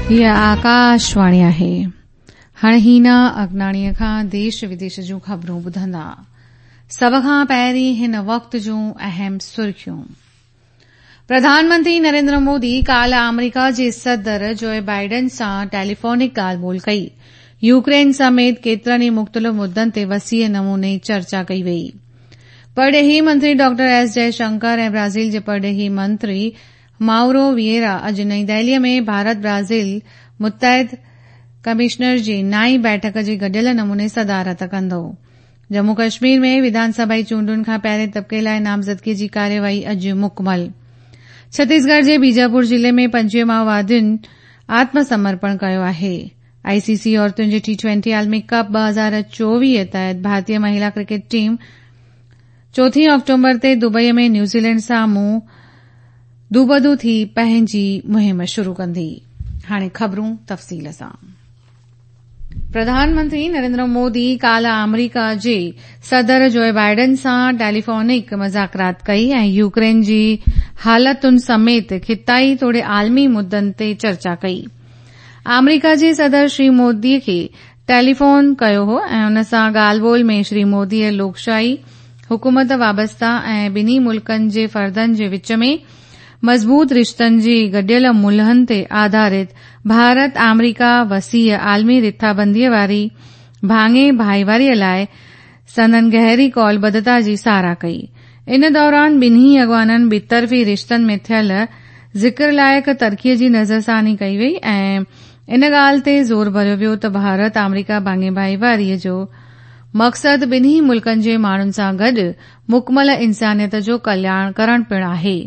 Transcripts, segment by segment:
हीअ आकाशवाणी आहे। हाणे हीना अगनाणीअ खां देश विदेश जूं ख़बरूं ॿुधंदा। सभ खां पहिरीं हिन वक़्त जूं अहम सुर्खियूं। प्रधानमंत्री नरेंद्र मोदी काल्ह आमरीका जे सदर जो बाइडन सां टेलीफोनिक ॻाल्हि ॿोल कई। यूक्रेन समेत केतिरनि ई मुख़्तलिफ़ मुद्दनि ते वसीअ नमूने चर्चा कई वई। परॾेही मंत्री डॉक्टर एस जयशंकर ऐं ब्राज़ील जे परॾेही मंत्री माउरो विएरा अॼु नई दिल्लीअ में भारत ब्राज़ील मुत्तहिद कमिश्नर जी नाई बैठक जी गॾियल नमूने सदारत कंदो। जम्मू कश्मीर में विधानसभा चूंडुनि खां पहिरें तबिके लाइ नामज़दगी जी कार्यवाही अॼु मुकमल। छत्तीसगढ़ जे बीजापुर ज़िले में 25 माओवादियुनि आत्मसमर्पण कयो आहे। आईसीसी औरतुनि जे टी20 आलमी कप 2024 तहत भारतीय महिला क्रिकेट टीम 4 अक्टूबर ते दुबईअ में न्यूज़ीलैंड साम्हूं दूबदू थी पंहिंजी मुहिम शुरू कंदी। हाणे ख़बरूं तफ़सील सां। प्रधानमंत्री नरेंद्र मोदी काल्ह आमरीका जे सदर जो बाइडन सां टेलीफोनिक मुज़ाकरात कई ऐं यूक्रेन जी हालतुनि समेत खिताई तोड़े आलमी मुद्दनि ते चर्चा कई। आमरीका जे सदर श्री मोदीअ खे टेलीफोन कयो हो ऐं उन सां ॻाल्हि ॿोल में श्री मोदीअ लोकशाही हुकूमत वाबस्ता ऐं ॿिन्ही मुल्कनि जे फर्दनि जे विच में मज़बूत रिश्तनि जी गॾियल मुल्हनि ते आधारित भारत आमरीका वसीअ आलमी रिथाबंदीअ वारी भाङे भाईवारीअ लाइ संदन गहरी कौलबद्धता जी सराह कई। इन दौरान ॿिन्ही अॻवाननि ॿितरफ़ी रिश्तनि में थियल ज़िक्र लाइक़ तरक़ीअ जी नज़रसानी कई वई ऐं इन ॻाल्हि ते ज़ोर भरियो वियो त भारत आमरीका भाङे भाईवारीअ जो मक़सदु ॿिन्ही मुल्कनि जे माण्हुनि सां गॾु मुकमल इंसानियत जो कल्याण करण पिणु आहे।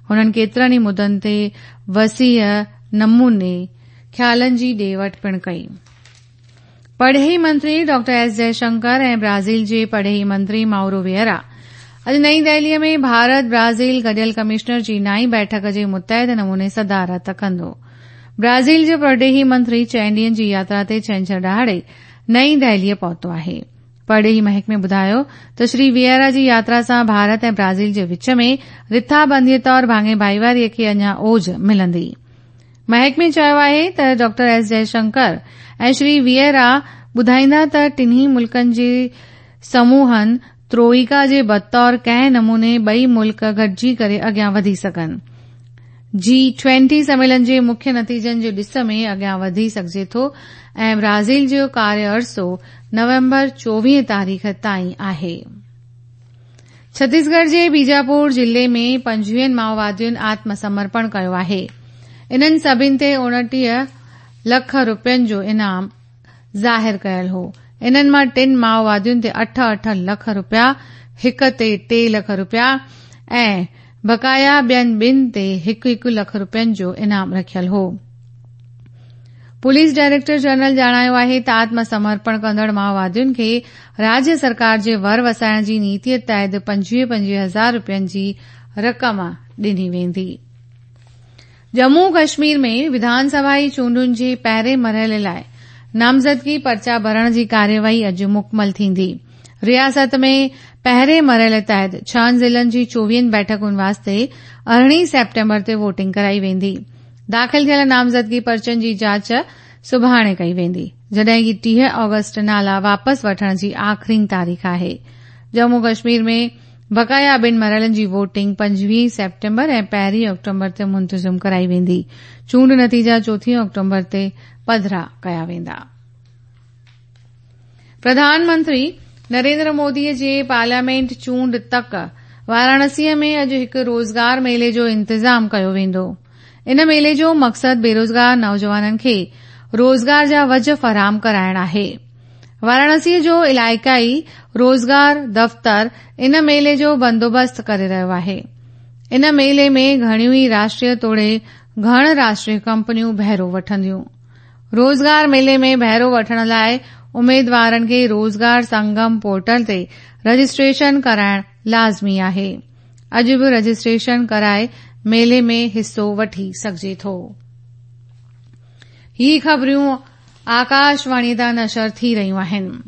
हुननि केतिरनि ई मुद्दनि ते वसीअ नमूने ख़्यालनि जी ॾे वठ पिणु कई। परॾेही मंत्री डॉक्टर एस जयशंकर ऐं ब्राज़ील जे परॾेही मंत्री माउरो विएरा अॼु नई दिल्लीअ में भारत ब्राज़ील गॾियल कमिश्नर जी नाई बैठक जी मुत्तहिद नमूने सदारत कंदो। ब्राज़ील जो परॾेही मंत्री 4 ॾींहनि जी यात्रा ते छंछर ॾिहाड़े नई दिल्लीअ पहुतो आहे। परॾेही महकमे ॿुधायो त श्री विएरा जी यात्रा सां भारत ऐं ब्राज़ील जे विच में रिथाबंदीअ तौर भाङे भाईवारीअ खे अञा ओज मिलंदी। महकमे चयो आहे त डॉक्टर एस जयशंकर ऐं श्री विएरा ॿुधाईंदा त टिन्ही मुल्कनि जे समूहनि त्रोइका जे बतौर कंहिं नमूने ॿई मुल्क गॾिजी करे अॻियां वधी सघनि। जी20 सम्मेलन जे मुख्य नतीजनि जे ॾिस में अॻियां वधी सघिजे थो ऐं ब्राज़ील जो कार्य अरसो नवंबर 24 तारीख़ ताईं आहे। छत्तीसगढ़ जे बीजापुर ज़िले में 25 माओवादियुनि आत्मसमर्पण कयो आहे। इन्हनि सभिनी ते 29 लख रुपयनि जो इनाम ज़ाहिर कयल हो। इन्हनि मां 3 माओवादियुनि ते 8-8 लख रुपया, हिक ते 3 लख रुपया ऐं बकाया ॿियनि ॿिनि ते 1-1 लख रुपयनि जो इनाम रखियल हो। पुलिस डायरेक्टर जनरल ॼाणायो आहे त आत्मसमर्पण कंदड़ माओवादियुनि खे राज्य सरकार जे वर वसाइण जी नीतीअ तहत 25-25 हज़ार रुपयनि जी रक़म ॾिनी वेंदी। जम्मू कश्मीर में विधानसभा चूंडुनि जे पहिरें मरहले लाइ नामज़दगी पर्चा भरण जी कार्यवाही अॼु मुकमल थींदी। रियासत में पहिरें मरहले तहत 6 ज़िलनि जी 24 बैठकुनि वास्ते 18 सेप्टेम्बर ते वोटिंग कराई वेंदी। दाख़िल थियल नामज़दगी पर्चनि जी जांच सुभाणे कई वेंदी, जॾहिं की 30 ऑगस्ट नाला वापसि वठण जी आख़िरी तारीख़ आहे। जम्मू कश्मीर में बकाया ॿिनि मरहलनि जी वोटिंग 25 सेप्टेम्बर ऐं 1 अक्टूबर ते मुंतज़िम कराई वेंदी। चूंड नतीजा 4 अक्टूबर ते पधरा कया वेंदा। प्रधानमंत्री नरेंद्र मोदीअ जे पार्लियामेंट चूंड तक वाराणसीअ में अॼु हिकु रोज़गार मेले जो इंतज़ाम कयो वेंदो। इन मेले जो मक़सदु बेरोज़गार नौजवाननि खे रोज़गार जा वज फराहम कराइण आहे। वाराणसीअ जो इलाइक़ाई रोज़गार दफ़्तर इन मेले जो बंदोबस्तु करे रहियो आहे। इन मेले में घणियूं ई राष्ट्रीय तोड़े घण राष्ट्रीय कंपनियूं बहिरो वठंदियूं। रोज़गार मेले में बहिरो वठण लाइ उमेदवारनि खे रोज़गार संगम पोर्टल ते रजिस्ट्रेशन कराइण लाज़मी आहे। अॼु बि रजिस्ट्रेशन कराए मेले में हिसो वठी सघिजे थो। ही ख़बरियूं आकाशवाणी तां नशर थी रहियूं आहिनि।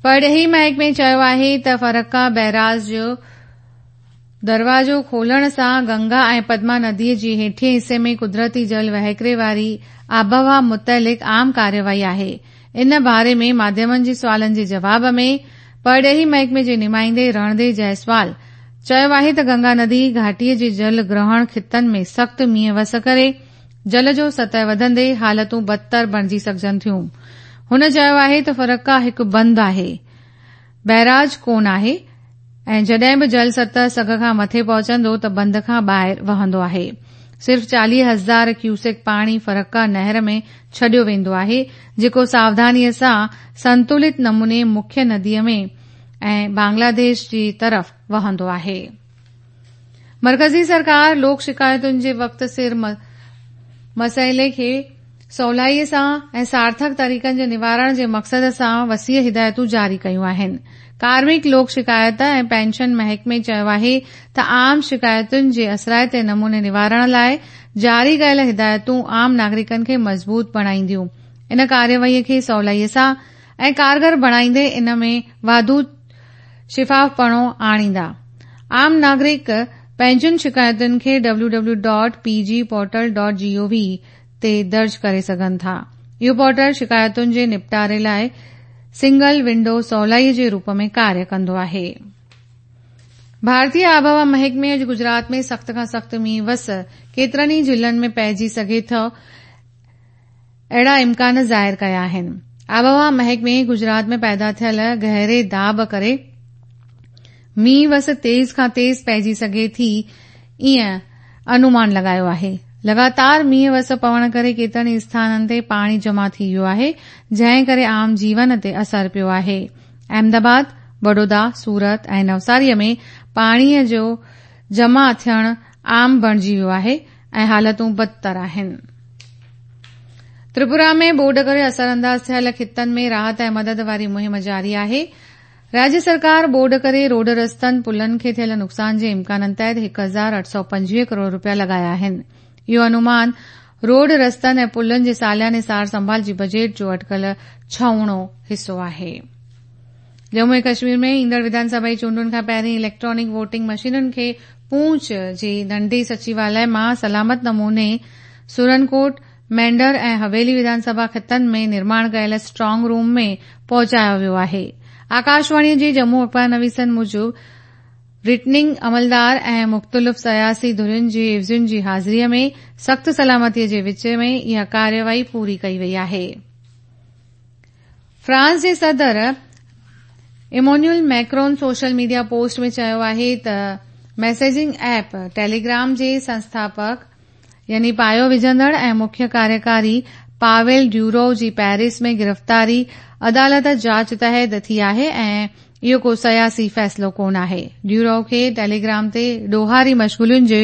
परॾेही महकमे चयो आहे त फरक्का बैराज जो دروازو کولڻ سان گنگا ۽ پدما نديء جي هيٺئين حصي ۾ قدرتي جل وهڪري واري آبهوا متعلق عام ڪارروائي آهي. ان باري ۾ ماڌيمن جي سوالن جي جواب ۾ پرڏيهي محڪمي جي نمائندي رڻڌير جئسوال چيو آهي ته گنگا ندي گهاٽي جي جل گرهڻ خطن ۾ سخت مينهن وس ڪري جل جو سطح وڌندي حالتون بدتر بڻجي سگهجن ٿيون. هن چيو آهي ته فرقا هڪ بند آهي، بئراج ڪونه آهي ۽ جڏهن به جل سطح سگهه کان مٿي پهچندو ته بند کان ٻاهر وهندو آهي. صرف 40 هزار ڪيوسڪ پاڻي فرقا نهر ۾ ڇڏيو ويندو آهي، جيڪو ساوڌانيء سان سنتولت نموني مکيه نديء ۾ ۽ بنگلاديش جي طرف وهندو آهي. مرڪزي سرڪار لوڪ شڪايتن جي وقت سر مسئلي کي سولائي سان ۽ سارٿڪ طريقن جي نوارڻ جي مقصد سان وسيع هدايتون جاري ڪيون آهن. ڪارمڪ لوڪ شڪايت ۽ پينشن محڪمي چيو آهي ته عام شڪايتن جي اثرائتي نموني نوارڻ لاء جاري ڪيل هدايتون عام ناگرڪن کي مضبوط بڻائينديون ان ڪارروائي کي سولائي سان ۽ ڪارگر بڻائيندي ان ۾ واڌو شفافپڻو آڻيندا. عام ناگرڪ پنهنجين شڪايتن کي W W dot P G portal dot G O V تي درج ڪري سگهن ٿا. اهو پورٽل شڪايتن جي نپٽاري لاء سنگل ونڊو سولائي جي روپ ۾ ڪاريه ڪندو آهي. ڀارتي آبهوا محڪمي اڄ گجرات ۾ سخت کان سخت مينهن وس ڪيترن ئي ضلعن ۾ پئجي سگهي ٿو اهڙا امڪان ظاهر ڪيا آهن. آبهوا محڪمي گجرات ۾ پيدا ٿيل گهري داٻ ڪري مينهن وس تيز کان تيز پئجي سگهي ٿي ائين انومان لڳايو آهي. لڳاتار مينهن وس پوڻ ڪري ڪيترن ئي اسٿانن تي پاڻي جمع ٿي ويو آهي جنهن ڪري عام جيون تي اثر پيو آهي. احمد آباد، بڙودا، سورت ۽ نوساري ۾ پاڻي جو جمع ٿيڻ عام بڻجي ويو آهي ۽ حالتون بدتر آهن. تريپورا ۾ ٻوڏ ڪري اثرانداز ٿيل خطن ۾ راحت ۽ مدد واري مهم جاري آهي. راڄ سرڪار ٻوڏ ڪري روڊ رستن، پلن کي ٿيل نقصان جي امڪانن تحت 1825 ڪروڙ رپيا لڳايا آهن. اهو انومان روڊ رستن ۽ پلن جي سالياني سار سنڀال جي بجيٽ جو اٽڪل ڇهوڻو حصو آهي. ڄمون ۽ ڪشمير ۾ ايندڙ وڌان سڀائي چونڊن کان پهرين اليڪٽرانڪ ووٽنگ مشينن کي پونڇ جي ننڍي سچيواليه مان سلامت نموني سرنڪوٽ، مينڍر ۽ حويلي وڌان سڀا خطن ۾ نرماڻ ڪيل اسٽرانگ روم ۾ پهچايو ويو آهي. آڪاشواڻي جي ڄمون اخبار نويسن موجب ريٽرننگ عملدار ۽ مختلف سياسي ڌرين جي عيوضين جي حاضري ۾ سخت سلامتي جي وچ ۾ اها ڪارروائي پوري ڪئي وئي آهي. فرانس جي صدر Emmanuel Macron social media post ۾ چيو آهي ته ميسيجنگ ايپ ٽيليگرام جي سنسٿاپڪ يعني پايو وجهندڙ ۽ مکيه ڪاريڪاري پاويل ڊيورو جي پيرس ۾ گرفتاري عدالت جاچ تحت ٿي آهي ۽ اهو ڪو سياسي فيصلو ڪونه آهي. ڊيورو کي ٽيليگرام تي ڏوهاري مشغولين جي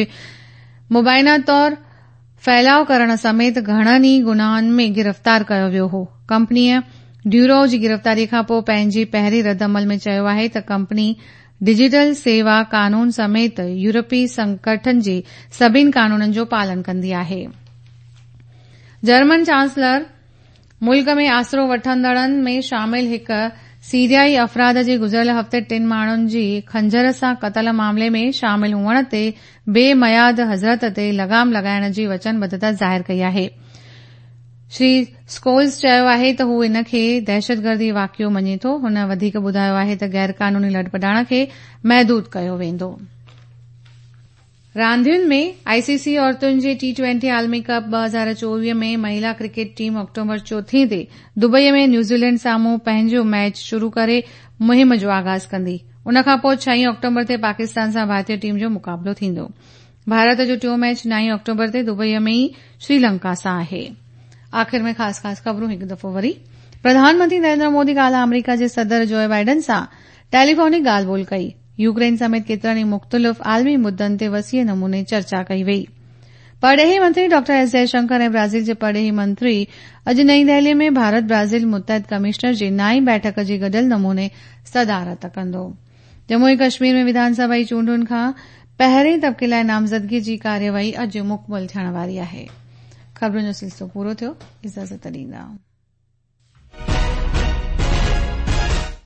مبينا طور ڦهلاء ڪرڻ سميت گهڻن ئي گناهن ۾ گرفتار ڪيو ويو هو. ڪمپنيء ڊيورو جي گرفتاري کانپوء پنهنجي پهرين رد عمل ۾ چيو آهي ته ڪمپني ڊجيٽل سيوا قانون سميت يورپي سنگٺن جي سڀني قانونن جو پالن ڪندي آهي. جرمن چانسلر ملڪ ۾ آسرو وٺندڙن ۾ شامل هڪ سيريائي افراد جي گذريل هفتي ٽن ماڻهن جي خنجر سان قتل معاملي ۾ شامل هئڻ تي بي ميعاد هجرت تي لغام لڳائڻ جي وچنبڌتا ظاهر ڪئي آهي. شري اسڪولز چيو آهي ته هو ان کي دهشتگردي واقعو مڃي ٿو. هن وڌيڪ ٻڌايو آهي ته غيرقانوني لڏپلاڻ کي محدود ڪيو ويندو. راندين ۾، آء سي سي عورتن جي ٽي ٽوئنٽي عالمي ڪپ 2024 ۾ مهيلا ڪرڪيٽ ٽيم آڪٽوبر چوٿين تي دبئي ۾ نيوزيلينڊ سامهون پنهنجو ميچ شروع ڪري مهم جو آغاز ڪندي. ان کانپوء ڇهين آڪٽوبر تي پاڪستان سان ڀارتي ٽيم جو مقابلو ٿيندو. ڀارت جو ٽيون ميچ نائين آڪٽوبر تي دبئي ۾ ئي سريلنڪا سان آهي. آخر ۾ خاص خاص خبرون هڪ دفعو وري. پرڌان منتري نريندر مودي ڪالهه آمريڪا جي صدر جوء بائيڊن سان ٽيليفونڪ ڳالهه ٻولهه ڪئي. يوڪرين سميت ڪيترن ئي مختلف عالمي مدن تي وسيع نموني چرچا ڪئي وئي. پرڏيهي منتري ڊاڪٽر ايس جئشنڪر ۽ برازيل جي پرڏيهي منتري اڄ نئين دهلي ۾ ڀارت برازيل متحد ڪمشنر جي نائين بيٺڪ جي گڏيل نموني صدارت ڪندو. ڄمون ۽ ڪشمير ۾ وڌان سڀائي چونڊن کان پهرين طبقي لاء نامزدگي جي ڪارروائي اڄ مڪمل ٿيڻ واري آهي. خبرن جو سلسلو پورو ٿيو. اجازت ڏيندا.